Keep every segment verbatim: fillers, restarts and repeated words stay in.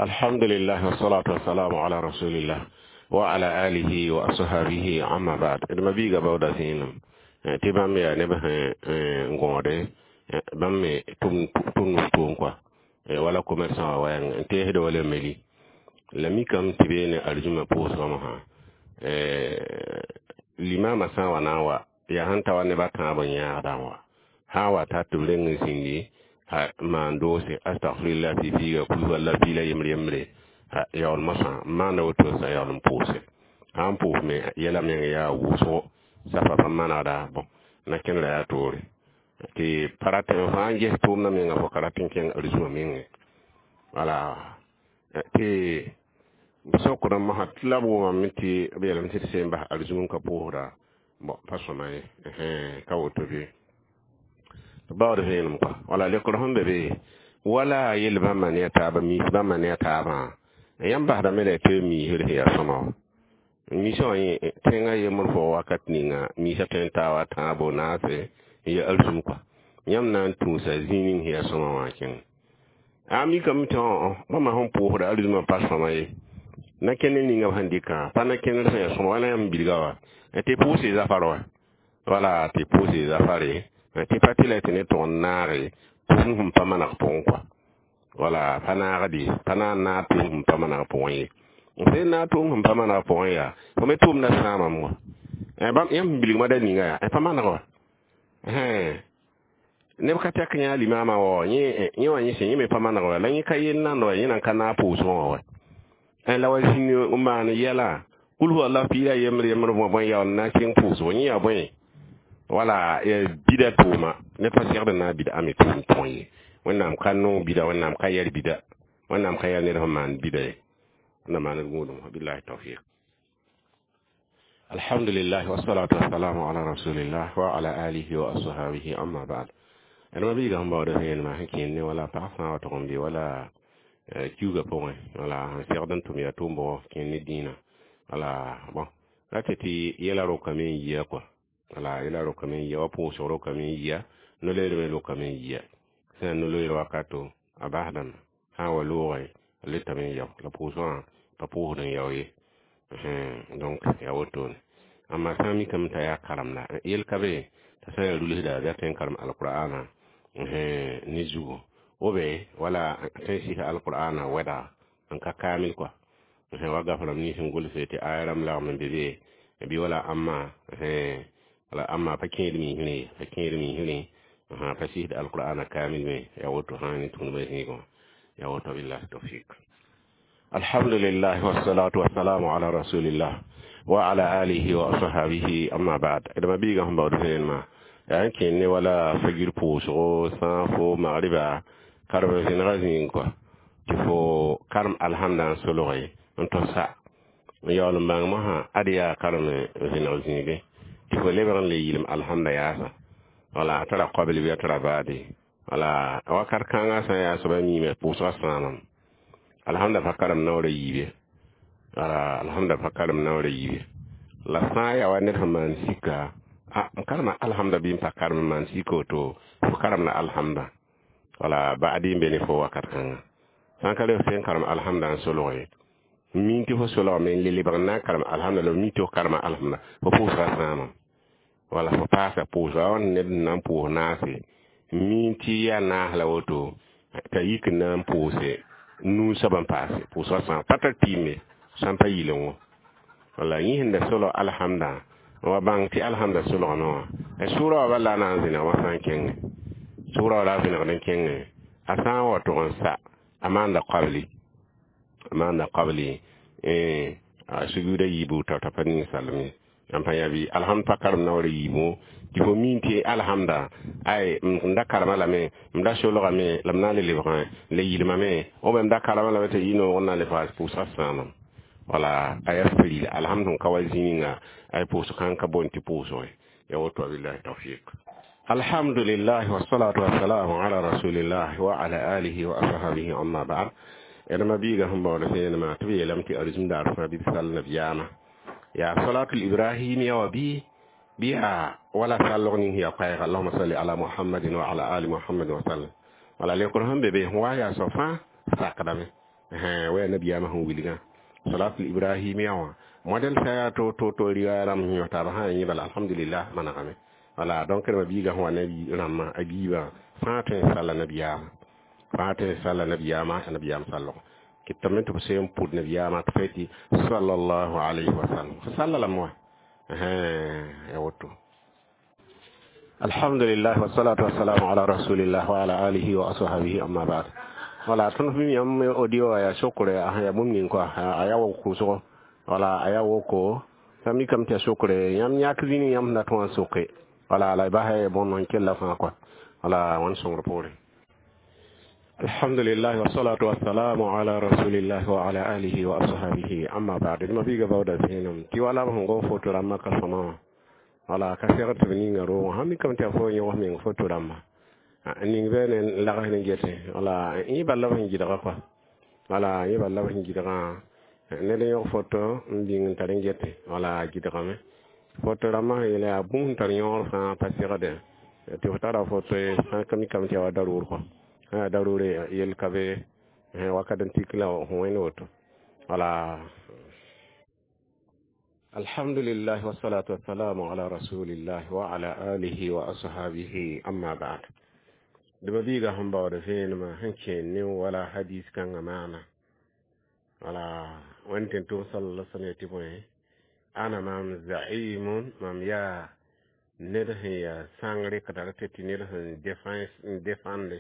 Alhamdulillah wassalatu wassalamu ala rasulillah wa ala alihi wa ashabihi, amma ba'd. D ma-biiga baooda zĩinem tɩ bãmb yaa neb sẽn gõode bãmb me tʋmd tʋʋm kɔa wala commerçant wã wɛɛng n teesd wala meli la mikame tɩ beene arzũmã pʋʋsgã mosã limama sã n wa na n wa yaa sẽn ta wa neb a tãab n yãagdã wã sã n wa tar tɩ b reng n zĩndi maan doose astagfirullah pipiiga kul walla piila yembr yembre yaool mosã n maanda woto sã yaool n pʋʋse sã n pʋʋs me yɛla meng yaa wʋsgo safa pa manegda bõn na kẽnera yaa toore tɩ pa rat n fãa n ges tʋʋmdã menga fo ka rat n kẽng arzũmã menge wala tɩ sokdã mosã tɩ la b wʋmame tɩ b yeelame tɩ d seen bas arzũm n ka pʋʋsda bon pa sõma ye ka woto bɩ baood vẽenem kɔa wala lekr sẽn be be wala yel bãmba ne a taaba miis bãmba ne a taabã yãmb basdame la y tɩ miisd sẽn yaa sõma wã miisã wã tẽngã yembr fo wakat ninga miisã tõe n taa wa tãabo naase n ya arzũm kɔa yãmb na n tũusa zĩig ning sẽn yaa sõma wã kẽng a mikame tɩ bãmba sẽn pʋʋsda arzũmã pa sõma ye na kẽnd ninga b sẽn dɩkã pa na kẽndr sẽn yaa sõma wala yãmb bilga wa tɩ pʋʋse zafar wa wala tɩ pʋʋse zafare tɩ pa tɩ la tɩ ne tʋg n naage tʋʋm sẽn pa maneg pʋgẽ kɔa wala pa naagde pa na n naag tʋʋm sẽn pa maneg pʋgẽ ye n sẽn naag tʋʋm sẽn pa maneg pʋgẽ yaa fo me tʋʋmda sãamame wa yãmb sẽn bilgmã da ninga yaa pa maneg wa neb ka tɛk yã limaamã wa yẽ wã yẽ sẽn yẽ me pa maneg wa la yẽ ka yel nand wa yẽ nan ka naag pʋʋsgã wã wa la wa zĩnd n maan yɛla kul huwa allah piila yembr yembr bõe yaool n na n kẽng pʋʋsgo yẽ yaa bõe wala bida tʋʋma ne pa segd n na n bida ame tʋʋm pʋgẽ ye wẽnnaam ka noog bida wẽnnaam ka yɛl bida wẽnnaam ka yɛl ned sẽn maan bida ye na maan d gũudum billahi tawfiq. Alhamdulillah wassalatu wassalamu ala rasulillah wa ala alihi wa ashabihi, amma ba'd. D ma-biiga sẽn baood vẽenemã sẽn kẽnd ne wala pag fãa wa tʋg n be wala kiuugã pʋgẽ wala sẽn segd n tʋm yaa tʋʋm bʋgɔ kẽnd ne dĩinã wala bon ra tɩ tɩ yɛla rokame n yia kɔa wala yɛla rokame n yia wa pʋʋsg rokame n yia no-loeer me rokame n yia sẽn no-loeer wakato a basdame sã n wa loogẽ a letame n yao la pʋʋsgã pa pʋʋsd n yao ye donc yaa wotone amma sã n mikame t'a yaa karemda yel ka be t'a sã n yaa rulsda bɩ a tõe n karem alqur'ana ne zugu obe wala tõe n sɩs alqur'ana wɛda n ka kaamil kɔa wa gaframe nins n gʋlse tɩ aya rãmb lagm n be be bɩ wala amma wala amma pa kẽed miisrẽ pa kẽed miisrẽ pa sɩsd alqur'ana kaamil me yaa woto sã ne tũudbã zĩigẽ yaa woto billahi tawfik. Alhamdulillah wassalatu wassalamu ala rasulillah wa ala alihi wa ashabihi, amma ba'd. D ma-biigã sẽn baood vẽenemã yaa n kẽnd ne wala fagir pʋʋsgo sã fo magriba karem zẽnega zĩig kɔa tɩ fo karem alhamda n solge n tʋsa n yaool n bãng mosã ad yaa karem zẽneg zĩige tɩ fo lebg n le yɩlem alhamda yaasa wala a tara qabl bɩ a tara baade wala wakat kãngã sã n yaa soaba miime pʋʋsgã sãamam alhamda pa karem naoora yiibe wala alhamda pa karem naoora yiibe la sã n yaa wa ned sẽn maan sika a n karema alhamda bɩ n pa karem n maan sika woto fo karem la alhamda wala baadi n be ne fo wakat kãngã sã n ka le f n karem alhamda n solge min tɩ fo solgame n le lebg n na n karem alhamda la mi tɩ fo karema alhamda fo pʋʋsga sãamam wala fo paasa pʋʋsga wa ned n na n pʋʋs naase min tɩ yaa naas la woto t'a yik n na n pʋʋse nuu soab n paase pʋʋsga sãam pa tar tɩɩme sã n pa yɩleng wã wala yẽ sẽn da solg alhamda wa bãng tɩ alhamda solgame wã sʋʋra wa bala na n zẽneg wã sã n kẽnge sʋʋra wa la a vẽnegd n kẽnge a sã n wa tʋg n sa a maanda qabli a maanda qabli a sujuuda yiibu t'a t'a pa ninsalem ye n pa yã bɩ alhamd pa karem naoor yiibu tɩ fo min tɩ alhamda ay m da karema lame m da solgame la m na n le lebgẽ le yɩlmame b m da karema lame tɩ yɩ noog n na n le faas pʋʋsga sãamam wala a yaa firila alhamd sẽn ka wa zĩ ninga ay pʋʋsg sãn ka boond tɩ pʋʋsge ya woto billahi tawfiq. Alhamdulillah wassalatu wassalamu ala rasulillah wa ala alihi wa ashabihi, amma ba'd. D ma-biiga sẽn baood vẽenemã tɩ b yeelame tɩ arzũm daar fãa bɩ b sall nabiyaamã yaa salatul ibrahimiya wa bɩ bɩ yaa wala sallg ning sẽn yaa koɛɛga allahuma salli ala muhammadin wa ala ali muhammadin wa sallam wala lekr sẽn be be sẽn wa yaa soab fãa sakdame. Wa nabiyaamã sẽn wilgã salatul ibrahimiya wã model sã to to to riwaaya rãmb sẽn yõ taaba sã yẽ bala alhamdulillah manegame. Wala donc rẽmba biiga sẽn wa ne rãmbã a biibã fãa tõe n salla nabiyaamã, fãa tõe n salla nabiyaamã, nabiyaam sallg kɩtame tɩ b sẽn pʋd nabiyaamã tɩ fa tɩ sallallahu alayhi wa sallam fo salla lame wã ya woto. Alhamdulillah wassalatu wassalamu ala rasulillah wa ala alihi wa ashabihi, amma ba'd. Wala tõnd f yãmb audio ya sokre ya bũmb ning kɔa a ya wok kʋʋsgo, wala a ya woko t'a mikame tɩ ya sokre yãmb yãk zĩnig yãmb sẽn dat wã n soke, wala la y basa bõn n kella fãa kɔa, wala wãn sõngr poore. Alhamdulillah wassalatu wassalamu ala rasulillah wa ala alihi wa ashabihi, amma ba'd. Ma biiga baooda zẽenem tɩ wala b sẽn gom foto rãmbã ka sõma wã, wala ka segd tɩ b ninga roogã sãn mikame tɩ ya fo yõgs meng foto rãmba ning bɩ ne lags ne gete, wala yẽ bal la b sẽn gɩdga kɔa, wala yẽ bal la b sẽn gɩdgã ned n yõg foto n bĩng n tar n gete, wala gɩdgame foto rãmbã sẽn yeele yaa bũmb sẽn tar yõor fãa pa segde tɩ f tara foto ye sã ka mikame tɩ ya wa daroor kɔa, sã yaa daroore yel ka be wakat n tik la f wẽnd woto, wala. Alhamdulillah wassalatu wassalamu ala rasulillah wa ala alihi wa ashabihi, amma ba'd. Dɩba biiga sẽn baood vẽenemã sẽn kẽen ne wala hadis kãngã maana, wala wẽnd tɩ tʋm sallallahu alaihi wasallam tɩ bõe ana maam zaimun mam yaa ned sẽn yaa sãngre ka tar tɩ tɩ ned sẽn n defãnde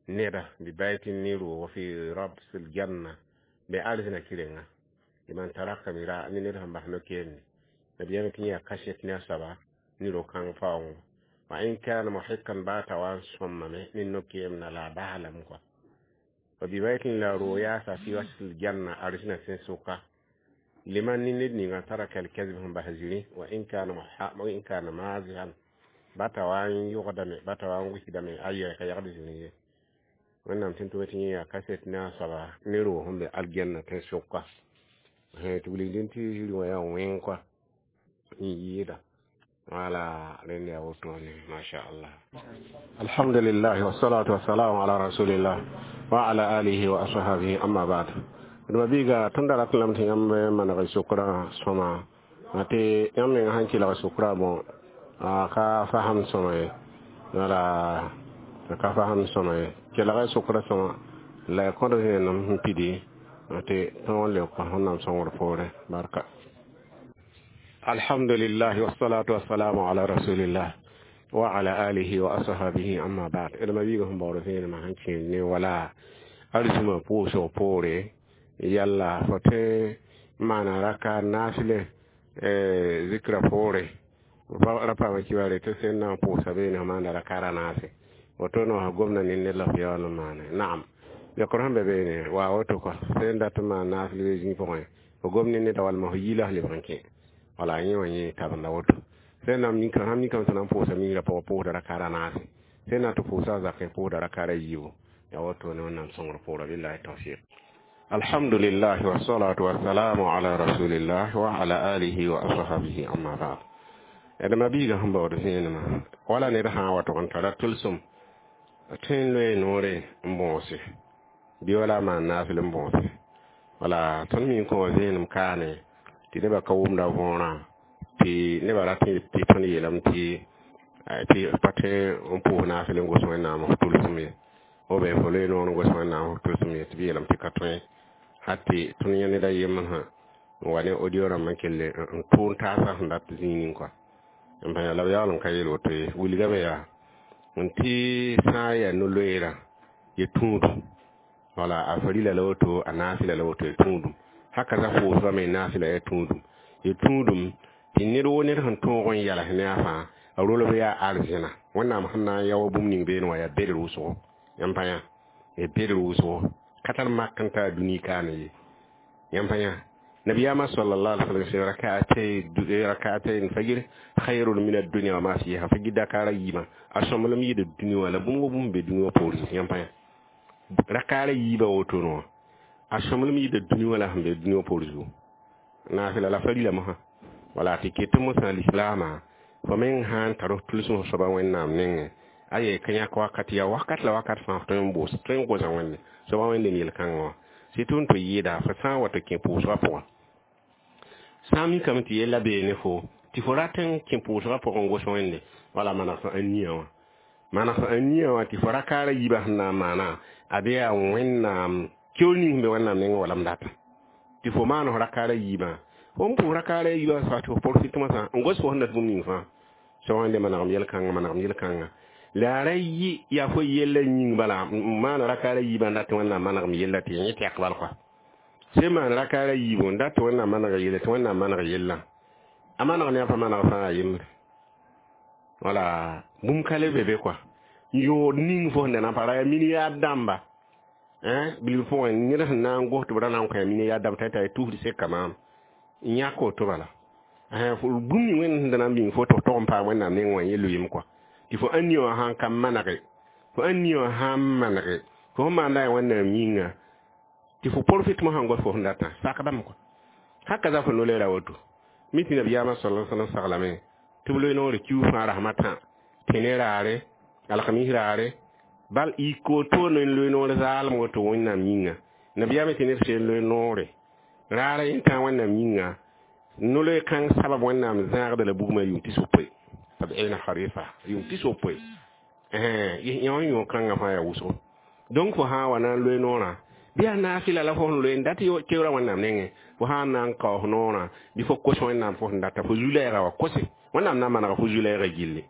neda bi baytin ne roog fi rabsil janna be arzẽna kɩrenga liman taraka mira ne ned sẽn bas no-keemde nabiyaamã tɩ yẽ yaa kaset ne a soaba ne ro-kãng faoongo wa in kana muhikan ba ta wa n sõmame ne no-keemda la a bas lame kɔa wa bi baytin la roog yaasa fi wasl janna arzẽna sẽn-sʋka liman ne ned ninga taraka al-kazib sẽn bas zĩri wa in kana wa in kana mazihan ba ta wa n yʋgdame ba ta wa n wɩsdame aya ka yagd zĩri ye wẽnnaam tɩ tʋm tɩ yẽ yaa kaset ne a soaba ne roog sẽn be aljanna tẽn-sʋka tɩ wilgdẽ tɩ zĩri wã yaa wẽng kɔa n yɩɩda, wala rẽnd yaa wotone masha Allah. Alhamdulillah wassalatu wassalamu ala rasulillah wa ala alihi wa ashabihi, amma ba'd. Dma biiga tõnd da rat lame tɩ yãmb maneg sʋkrã sõma tɩ yãmb meng sãn kelg sʋkrã bõ ka fasem sõma ye, wala ka fasem sõma ye kelg sʋkrã sõma la ya kõd vẽenem sẽn pidi tɩ tõog n leok wẽnnaam sõngr poorẽ barka. Alhamdulillah wassalatu wassalamu ala rasulillah wa ala alihi wa ashabihi, amma ba'd. Dma biiga sẽn baood vẽenemã sẽn kẽen ne wala arzũmã pʋʋsg poore yalla fo tõe n maana raka naasle zikra poore ra paama kibare tɩ sẽn na n pʋʋsa beene f maanda raka ra naase woto no gomna ne ned la f yaool n maane naam yokr sẽn be beene wa woto kɔa sẽn dat n maan naasl be zĩig pʋgẽ fo gom ne neda walma fo yiila f lebg n kẽ, wala yẽ wã yẽ tabenda woto sẽn na sãn mikame tɩ na n pʋʋsa migrã pʋgã pʋʋsda raka ra naase sẽn na tɩ pʋʋsa a zakẽ pʋʋsda raka ra yiibu ya woto ne wẽnnaam sõngr poorã billahi tawfiq. Alhamdulillah wassalatu wassalamu ala rasulillah wa ala alihi wa ashabihi, amma ba'd. Dma biiga sẽn baood vẽenemã wala ned sã n wa tʋg n tara tʋlsem tõe n loe noore n bõose bɩ wala maan naasl n bõose, wala tõnd mi n kõ wã vẽenem kaane tɩ nebã ka wʋmda võorã tɩ nebã rat tɩ tõnd yeelame tɩ tɩ pa tõe n pʋʋs naasl n gos wẽnnaam f tʋlsem ye ou bien fo loe noor n gos wẽnnaam f tʋlsem ye tɩ b yeelame tɩ ka tõe hat tɩ tõnd yẽ ned a yembr sã n wa ne audio rãmbã n kell n tʋʋn taasã sẽn dat zĩig ning kɔa n pa la b yaool n ka yeel woto ye wilgame yaa n tɩ sã n yaa no-loeerã ye tũudum, wala a farila la woto a naasla la woto ye tũudum haka za pʋʋsba me naasla ya tũudum ye tũudum tɩ ned wo ned sẽn tõog n yals ne a fãa a rolb yaa arzẽna wẽnnaam sẽn na n yao bũmb ning beene wã yaa bedr wʋsgo yãmb pa yã ya bedr wʋsgo ka tar mak n taa dũni kaane ye yãmb pa yã nabiyaamã sallallahu alaihi wasallam rak'atay rak'atayn fajr khayrun min ad-dunya wa ma fiha fajr dakara yima a sõmblem yɩɩd dũni wã la bũmb wo bũmb be dũni wã poorẽ yãmb pa yã rakaara yiibã woto wã a sõmblem yɩɩda dũni wã la sẽn be dũni wã poor zugu naasla la farila mosã wala tɩ ket mosã lislaamã fo meng sã n tar f tʋlsem f soaba wẽnnaam nengẽ a ye ka yãk wakat yaa wakat la wakat fãa f tõe n bʋʋs tõe n gosa wẽnde soaba wẽnde n yel-kãngã wã Sɩ tʋ n tɩ yɩɩda fo sã n wa tɩ kẽ pʋʋsgã pʋgã sã n mikame tɩ yella bee ne fo tɩ fo rat n kẽ pʋʋsgã pʋgẽ n gos wẽnde wala maneg fo ãnia wã maneg fo ãnia wã tɩ fo rakaara yiibã sẽn na n maana a bɩ yaa wẽnnaam keoor ning sẽn be wẽnnaam nengẽ wala m data tɩ fo maan f rakaara yiibã fo n pʋʋs rakaara yiibã sa tɩ fo profit moasã n gos fo sẽn dat bũmb ning fãa so wẽnde manegem yel-kãngã manegem yel-kãngã la a ra yɩ yaa fo yella yĩng bala n maan rakaara yiibã n dat tɩ wẽnnaam manegem yella tɩ yẽ tɛk bal kɔa sẽn maan rakaara yiibu n dat tɩ wẽnnaam maneg yella tɩ wẽnnaam maneg yellã a maneg ne a pa maneg fãa a yembre wala bũmb ka le be be kɔa yõod ning fo sẽn da na n pa ra yaa milliard dãmba bilf pʋgẽ ned sẽn na n gos tɩ b ra na n kõ milliard dãmb t'a t'a tusd seka maam n yãk woto bala bũmb ning wẽnd sẽn da na n bĩng fo tɩ f tog n paam wẽnnaam neng wã yẽ loeem kɔa tɩ fo ãnia wã sãn ka manege fo ãnia wã sãn manege fo sẽn maanda yaa wẽnnaam yĩnga tɩ fo profit mo sãn gos fo sẽn datã sak bãmb kɔa haka za fo no-leera woto mi tɩ nabiyaamã sala sallam saglame tɩ b loe noore kiu fãa rasmã tã tẽne raare alkamis raare bal y koto n loe noor zaalem woto wẽnnaam yĩnga nabiyaamã tɩ ned seen loe noore raara yẽ tã wẽnnaam yĩnga no-loe kãng sabab wẽnnaam zãagda la bugmã yʋʋm tis wopoe sab'ina kharifa yʋʋm tis wopoe yõ yõ kãngã fãa yaa wʋsgo donc fo sã n wa na n loe noorã bɩ yaa naafɩla la fo sẽn loe n dat keoora wẽnnaam nengẽ fo sã n na n kaoos noorã bɩ fo kos wẽnnaam fo sẽn data fo zu-lɛɛga wa kose wẽnnaam na n manega fo zu-lɛɛga gilli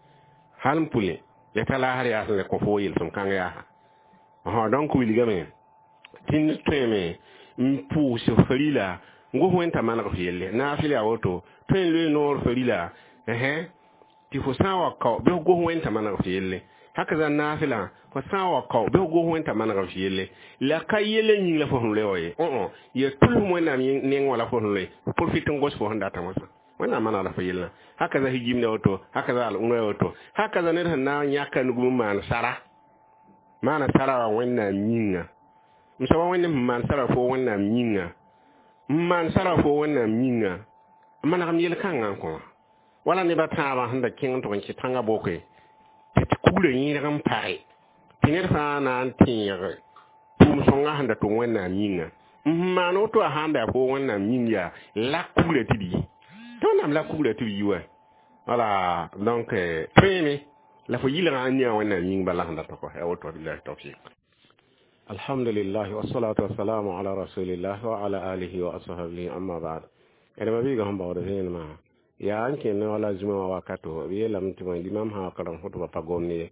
hal n pʋlẽ ya t'a laasr yaa sẽn le kõ fo yel-sõm kãng yaasa donc wilgame tɩ ned tõeme n pʋʋs farila n gos wẽn t'a maneg f yelle naafɩl yaa woto tõe n loe noor farila tɩ fo sã n wa kao bɩ f gos wẽn t'a maneg f yelle haka za naafɩlã fo sã n wa kao bɩ f gos wẽn t'a maneg f yelle la ka yelle yĩng la fo sẽn loe wa ye õ ya tʋlsem wẽnnaam neng wã la fo sẽn loe profit n gos fo sẽn datã wãsã wẽnnaam manegda fo yellã haka za higimda woto haka za al-umra woto haka za ned sẽn na n yãka nugum n maan sara maana sara wa wẽnnaam yĩnga m soaba wẽnd sẽn maan sara fo wẽnnaam yĩnga n maan sara fo wẽnnaam yĩnga n manegem yel-kãngã n kõ wã wala neba tãabã sẽn da kẽng n tʋg n kɩ tãngã boke tɩ tɩ kuglã yẽedg n page tɩ ned fãa na n tẽeg tʋʋm sõngã sẽn da tʋm wẽnnaam yĩnga n maan woto a sãn da yaa fo wẽnnaam yĩng yaa la kuglã tɩ d yi tɩ wẽnnaam la kuglã tɩ b yi wa wala donc tõeme la fo yɩlgã n nia wẽnnaam yĩng bala sẽn dat kɔ ya woto billahi tawfiq alhamdulillah wassalatu wassalamu ala rasulillah wa ala alihi wa ashabihi amma ba'd ẽdma biiga sẽn baood vẽenemã yaa n kẽnd wala zũma wã wakato b yeelame tɩ bõe limam sã wa karem khutba pa gomd ye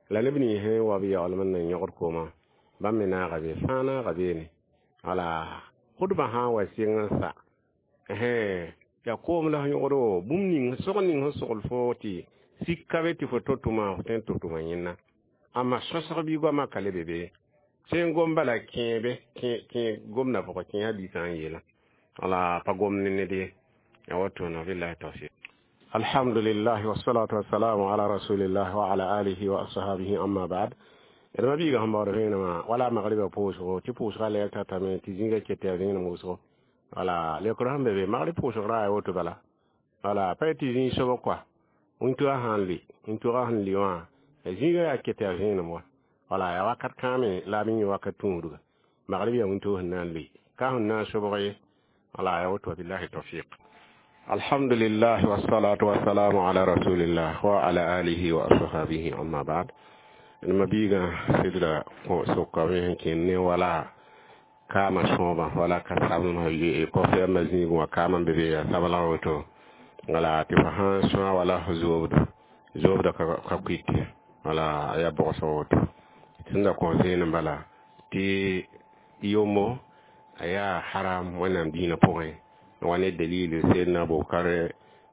la neb nins sẽn wa b yaoolem n na n yõgd koomã bãmb me naaga be fãa naaga beene wala khutbã sã n wa sɩng n sa yaa koom la f yõgdo bũmb ning sog ning sẽn sogl fo tɩ sik ka be tɩ fo to-tʋma f tõe n tʋ-tʋma yẽnna amma sõsg bɩ goamã ka le be be sẽn gom bala kẽebe kẽ gomda pʋgã kẽ hadiisã n yeelã wala pa gomd ne ned ye ya woto no billahi tawfiq alhamdulillah wassalatu wassalamu ala rasulillah wa ala alihi wa ashabihi amma ba'd d ma biiga sẽn baood vẽenemã wala magriba pʋʋsgo tɩ pʋʋsga lɛɛr tatame tɩ zĩiga ket yaa vẽenem wʋsgo wala leokr sẽn be be magrib pʋʋsg ra yaa woto bala wala pa tɩ zĩig sobg kɔa wĩntogã sãn le wĩntogã sẽn le wã zĩiga yaa ket yaa vẽenem wa wala yaa wakat kãame la b yẽ wakat tũudga magrib yaa wĩntog sẽn na n le ka sẽn na n sobg ye wala yaa woto billahi tawfiq alhamdulillah wassalatu wassalamu ala rasulillah wa ala alihi wa ashabihi amma ba'd ma biiga sɩdra sokame sẽn kẽnd ne wala kaama sõoba wala ka sablem kɔfɛɛmã zĩigẽ wã kaamã be be yaa sabla woto wala tɩ fo sãn sõa wala fo zoobdo zoobda ka kuite wala a yaa bogsa woto sẽn da kõ zẽenem bala tɩ yombo a yaa haram wẽnnaam dĩinã pʋgẽ wa ne dalil sayyidina abubakar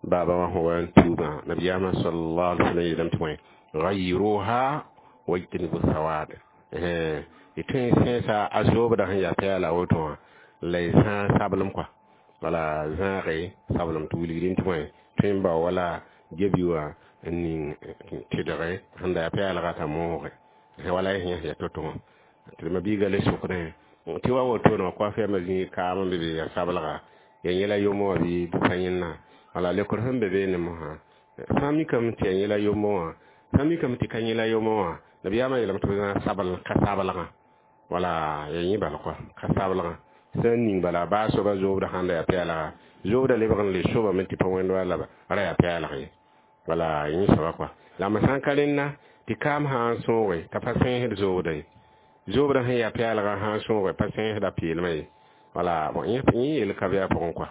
baba wa huwa tuba nabiyama sallallahu alaihi wasallam yeelame tɩ bõe غيروها واجتنبوا السواد eh tõe sẽesa a zoobda sẽn yaa pɛɛla woto wã la y zãag sablem kɔa wala zãage sablem tɩ wilgdẽ tɩ bõe tõe n bao wala gebi wã n ning tɩdge sẽn da yaa pɛɛlga t'a mooge wala y sẽn ya to-to wã tɩ ma biiga le sokdẽ tɩ wa woto no kɔa fɛɛmã zĩig kaam n be be yaa sabelga ya yẽla yombo wã bɩ pa yẽnna wala lekr sẽn be beene mosã sã n mikame tɩ ya yẽla yombo wã sã n mikame tɩ ka yẽla yombo wã nabiyaamã yeelame tɩ b zãag sabl ka sabelgã Wala ya yẽ bal kɔa ka sablgã sẽn ning bala baa soaba zoobdã sãn da yaa pɛɛlga zoobda lebg n le sobame tɩ pa wẽnd wa la ra yaa pɛɛlg ye wala yẽ soaba kɔa la m sã n ka rẽnna tɩ kaam sã n sõoge t'a pa sẽesd zoobda ye zoobdã sẽn yaa pɛɛlgã sã n sõoge pa sẽesda peelmã ye wala bon yẽ yel ka be a pʋgẽ kɔa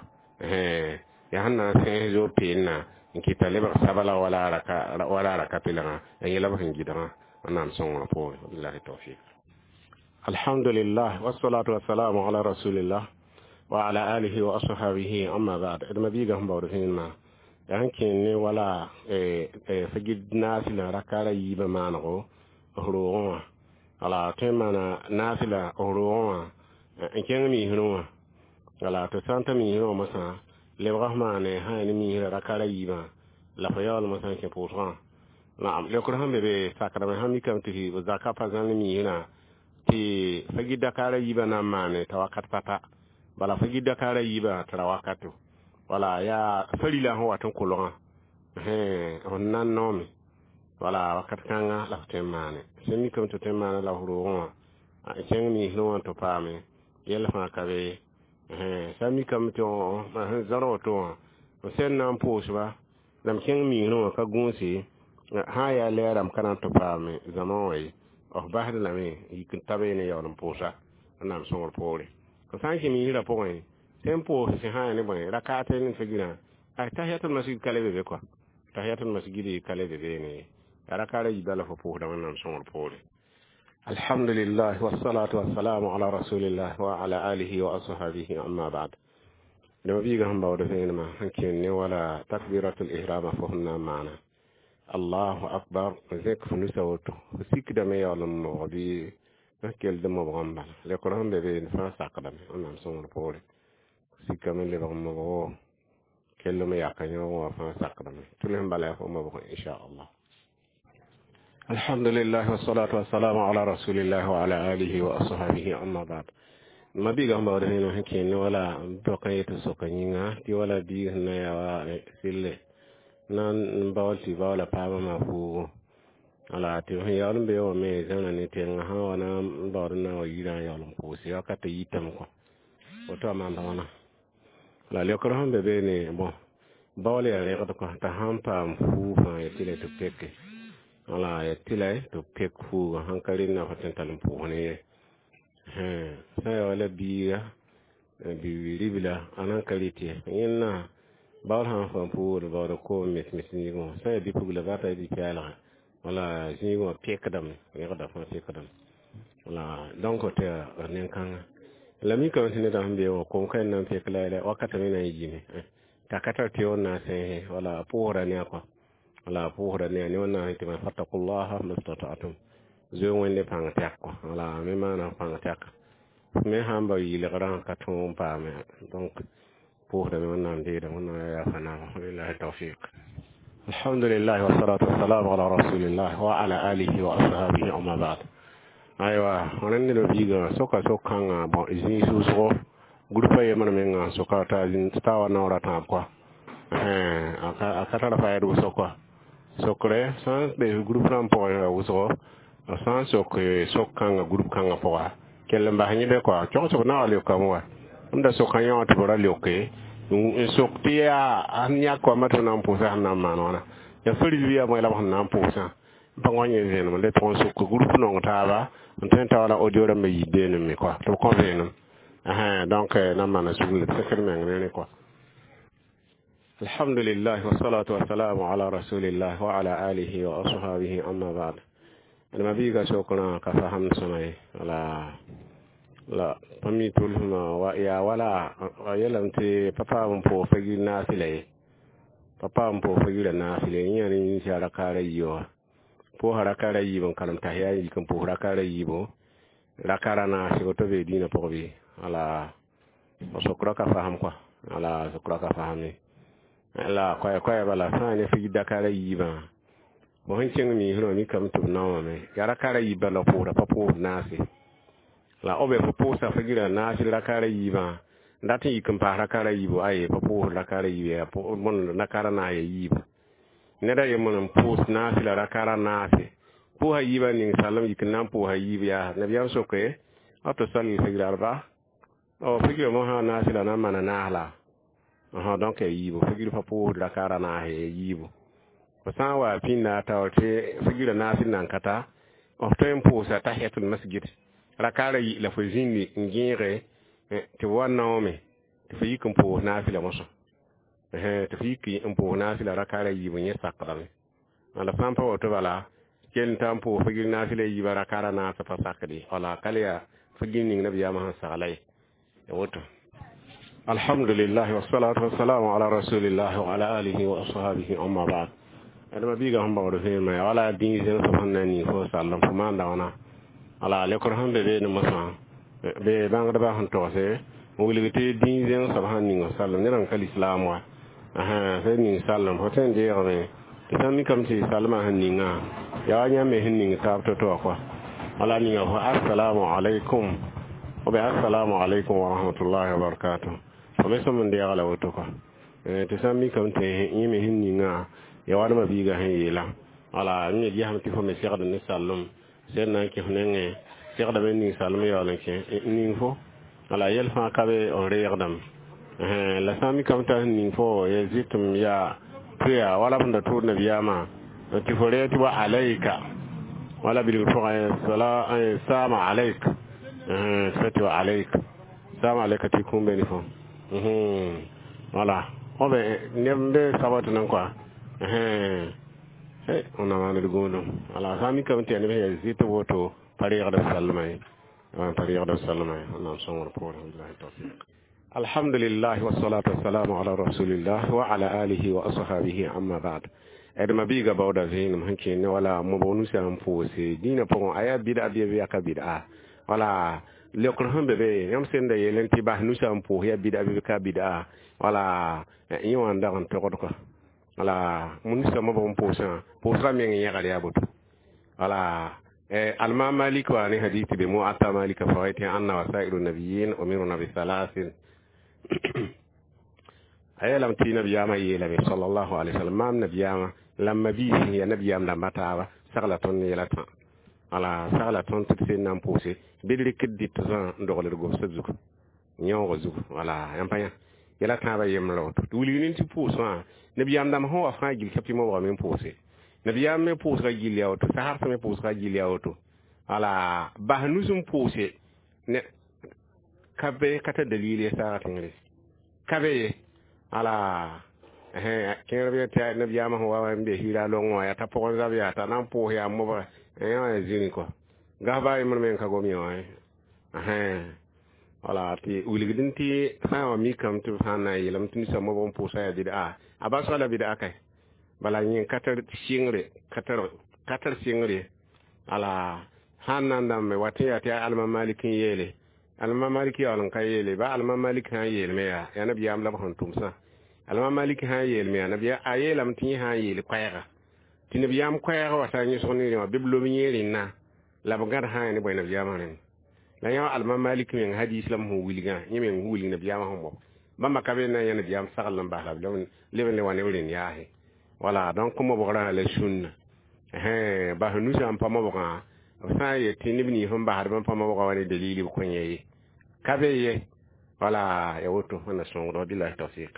yaa sẽn na n sẽes zoog peelnã n kɩta lebg sabla wala raka wala raka pelgã ya yẽ la b sẽn gɩdgã wẽnnaam sõngr poorẽ billahi tawfik. Alhamdulillah, wassalatu wassalamu ala rasulillah wa ala alihi wa ashabihi, amma ba'd. D mabiiga sẽn baood vẽenemã yaa sẽn kẽen ne wala fagid naasɩlã rakara yiibã maanego f roogẽ wã wala tõe n maana naasɩla f roogẽ wã n kẽng miisrẽ wã wala tɩ sã n ta miisrẽ wã mosã lebga f maane sã yaa ne miisrã rakara yiibã la fo yaool mosã n kẽ pʋʋsgã naam leokr sẽn be be sakdame sã mikame tɩ zaka pa zãl ne miisrã tɩ fagid dakara yiibã na n maane t'a wakat pata bala fagid dakara yiibã t'a ra wakato wala yaa farila sẽn wat n kolgã f nan noome wala wakat kãnga la f tõe n maane sẽn mikame tɩ tõe n maana la f roogẽ wã n kẽng miisrẽ wã tɩ paame yɛl fãa ka be sã n mikame tɩ sẽn zãr woto wã f sẽn na n pʋʋsba la m kẽng miisrẽ wã ka gũuse sã n yaa lɛɛra m ka na n tɩ paame zãma wã ye f basd lame n yik n ta beene yaool n pʋʋsa wẽnnaam sõngr poore f sã n kẽ miisrã pʋgẽ sẽn pʋʋs sẽn sã yaa ne bõe rakaat ne fagirã ay tahiyatul masjid ka le be be kɔa tahiyatul masjid ka le be beene ye rakara yiibã la fo pʋʋsda wẽnnaam sõngr poore. Alhamdulillah, wassalatu wassalamu ala rasulillah wa ala alihi wa ashabihi, amma ba'd. Dama biiga sẽn baood vẽenemã sẽn kẽen ne wala takbiratul ihrama fo sẽn na n maana allahu akbar zẽk f nusa woto f sikdame yaool n mobg bɩ f keld mobg n bala lekr sẽn be beene fãa sakdame wẽnnaam sõngr poore sikame lebg n mobgo kell me yaka yõog wã fãa sakdame tʋls n bala yaa fo mobg inchallah. Alhamdulillah, wassalatu wassalamu ala rasulillah wa ala alihi wa ashabihi, amma ba'd. Ma biiga sẽn baood vẽenem sẽn kẽen ne wala dõk n yet soka yĩnga tɩ wala biig sẽn na yaa wa sɩlle na n baool tɩ baoola paamã maa fuugo wala tɩ sẽn yaool n be wã me zãna ne tẽngã sã wa na n baood n na n wa yirã n yaool n pʋʋse wakat yitame kɔ woto a maanda wãna la leokr sẽn be beene bõn baool yaa rẽgd kɔ t'a sãn paam fuug fãa ya tɩ la tɩ peke wala ya tɩ la tɩ pek fuugã sãn ka rẽnna fo tõe n tall n pʋʋs ne ye sã n yaa wala biiga bi-ribla a nan ka rɩt ye yẽnna baool sã n fãa puugd baood koom mes mes zĩigẽ wã sã n yaa bi-pugla bata yaa bi-pɛɛlgã wala zĩigẽ wã pekdame rẽgda fãa pekdame wala donc tɩ nen-kãnga la mikame tɩ nedã sẽn be wã kom ka na n pek la la wakata me na n yiime t'a ka tar tɩ wẽn na n sẽese wala a pʋʋsda ne a kɔa wala a pʋʋsda ne a ne wẽnnaam tɩ ma fattakullaha mastata'tum zoe wẽnde pãng tɛk kɔ wala me maana pãng tɛka me sãn ba yɩlgrã ka tõog n paame donc pʋʋsdame wẽnnaam deeda wẽnnaam yaa yafa naaba billahi tawfiq. Alhamdulillah, wassalatu wassalamu ala rasulillah wa ala alihi wa ashabihi, amma ba'd. Aywa rẽnd ned biigã soka sok-kãngã bõn zĩig sʋʋsgo groupa yembr mengã soka t'a t'a wa naoor a tãab kɔa a ka tar faɛd wʋsg kɔa sokre sã n be group rãmb pʋgẽ wʋsgo sã n sok sok-kãngã group kãngã pʋga kell n bas yẽde kɔa cõgsg na wa leokame wa m da sokã yõ tɩ b ra leoke n sok tɩ yaa sẽn yãk wã tɩ b na n pʋʋsa sẽn na n maan wãna yaa faril yaa bõe la b sẽn na n pʋʋsã pa wa yẽ vẽenem le tʋg n sok group nong taaba n tõe n ta wala audio rãmbã yit beenem me kɔa tɩ b kõ vẽenem donc na n maana sugl sekr meng ne rẽ kɔa. Alhamdulillah, wassalatu wassalamu ala rasulillah wa ala alihi wa ashabihi, amma ba'd. Ma biiga sokrã ka fasam sõma ye wala la pa mi tʋlsmã wa yaa wala a yeelame tɩ pa paam n pʋʋs fagir naasɩla ye pa paam n pʋʋs fagirã naasɩla ye yẽ yaa ne yĩns rakaara yiibã wã pʋʋsa rakaara yiib n karem tahiya n yik n pʋʋs rakaara yiibo rakara naasgo to be dĩinã pʋgẽ bɩ wala sokra ka fasam kɔa wala sokra ka fasam ye la koɛɛ koɛɛ bala sã n ne fagir dakara yiibã bõ sẽn kẽng miisrã wã mikame tɩ b naoowame yaa rakara yiibã la pʋʋsda pa pʋʋs naase la b fo pʋʋsa fagirã naas rakara yiibã n dat n yik n paas rakara yiibo aye pa pʋʋs rakara yiib yaa bõn rakara naas ya yiiba ned a yembr n pʋʋs naase la rakara naase pʋʋsa yiibã ning salem yik n na n pʋʋsa yiib yaa nabiyaam soke أو تصلي الفجر أربعة أو فجر ما نافلة نما نahla aha donc yiibu figir pa pʋʋsd rakaara naase yiibu fo sã n wa pĩnda a taoor tɩ figrã naas n nan ka ta f tõe n pʋʋsa tahiyatul masjid rakaara yi la fo zĩndi n gẽege tɩ b wa naoome tɩ fo yik n pʋʋs naafɩla mosã tɩ fo yik n pʋʋs naafɩla rakaara yiibu yẽ sakdame la sã n pa woto bala kell n ta n pʋʋs figir naafɩla yiiba rakaara naasã pa sakde wala ka le yaa figir ning nabiyaamã sẽn sagla ye woto الحمد لله والصلاة والسلام على رسول الله وعلى آله وأصحابه أما بعد adama biiga sẽn baood vẽenema yaa wala dĩig zẽms sẽn na n ning fo sallem fo maanda wãna ala lekr sẽn be beene mosã be bãngdbã sẽn togse n wilg tɩ dĩig zẽng soab sãn ning sallem ned n ka lislaam wa sẽn ning sallem fo tõe n deegame tɩ sãn mikame tɩ salmã sẽn ningã yaa wa yãmb me sẽn ning taab to-to wã kɔa wala ninga fo assalamu alaikum ou bien assalamu alaikum wa rahmatullahi wa barakatuh fo me sõm n deega la woto kɔa tɩ sãn mikame tɩ yẽ me sẽn ningã ya wadma biiga sẽn yeela wala me gesame tɩ fo me segd ne sallem sẽn na n kẽ f nengẽ segdame n ning sallem yaool n kẽ ning fo wala yɛl fãa ka be n reegdame la sã n mikame t'a sẽn ning fo ya zɩtem yaa tɩ wala b sẽn da tʋʋd nabiyaamã tɩ fo reeg tɩ wa alayka wala bilgr pʋgã saama alayk tɩ tɩ wa alayk saama alayka tɩ kũum be ne fo wala be neb n be sabat nan kɔa ona maaned gũudum wala sã n mikame tɩ yaa neb sẽn yaa zɩt woto pa reegd b sallmã ye pa reegd b sallmã ye wẽnnaam sõngr poorẽ billahi tawfiq الحمد لله والصلاة والسلام على رسول الله وعلى آله وأصحابه أما بعد adma biiga baooda vẽenem sẽn kẽene wala mobg nusã n pʋʋse dĩinã pʋgẽ a yaa bɩda bɩ bɩ yaa ka bɩda wala leokr sẽn be be yãmb sẽn da yeel tɩ bas nusã n pʋʋs yaa bɩda bɩ ka bɩda wala yẽ wã n dag n togd kɔa wala nusã mobg n pʋʋsã pʋʋsgã meng yẽgd yaa boto wala الإمام مالك واني حديث بموطأ مالك فوائد أن وسائر النبيين أمرنا بثلاث a yeelame tɩ nabiyaamã yeelame صلى الله عليه وسلم maam nabiyaamã la mabiis ya nabiyaam dãmbã taaba sagla tõnd ne yɛla tã wala sagla tõnd tɩ d sẽn na n pʋʋse bɩ d rɩk d dɩt zã n dogl d gomsã zugu yãoogã zugu wala yãmb pa yã yɛla tãabã yembrã woto tɩ wilg nin tɩ pʋʋs wã nabiyaam dãmb sẽn wa fãa gill ka tɩ mobgame n pʋʋse nabiyaam me pʋʋsga gill yaa woto saharsã me pʋʋsga gill yaa woto wala bas nus n pʋʋse ne ka be ka ta dalil ye saaga tẽngre ka be ye ala kẽer b tɩ nabiyaamã sẽn wa n be hira longẽ wã yaa t'a pʋgẽ zab yaa t'a na n pʋʋs yaa mobga yã wã zĩni kɔ gas baa yembr me n ka gom yẽ wã wala tɩ wilgdẽ tɩ sã n wa mikame tɩ b sã n na n yeelame tɩ ninsã mobg n pʋʋsa yaa bɩda a basga la bɩda kai bala yẽ ka tar sɩngre ka tar ka tar sɩngre ala sãn na n dãmbe wa tɩ yaa tɩ yaa alma malik n yeele alma malik yaool n ka yeele ba alma malik sã n yeelme yaa yaa nabiyaam la b sẽn tʋmsã alma malik sã n yeelme yaa nabiya a yeelame tɩ yẽ sã n yeel koɛɛga tɩ nabiyaam koɛɛg wa taa yẽsg ne wã bɩ b lob yẽ rẽnna la b gãd sã n ne bõe nabiyaamã rẽnd la yã alma malik meng hadis la m sẽn wilgã yẽ meng wilg nabiyaamã sẽn mob bãmba ka be na n yã nabiyaam sagl n bas la b leb n le wa ne b rẽnd yaase wala donc mobgrã la sũnna bas nusã n pa mobgã b sã n yet tɩ neb nins sẽn basd bãmb pa mobgã wa ne dalil b kõ yẽ ye ka be ye wala ya woto wẽnna sõngd billahi tawfiq.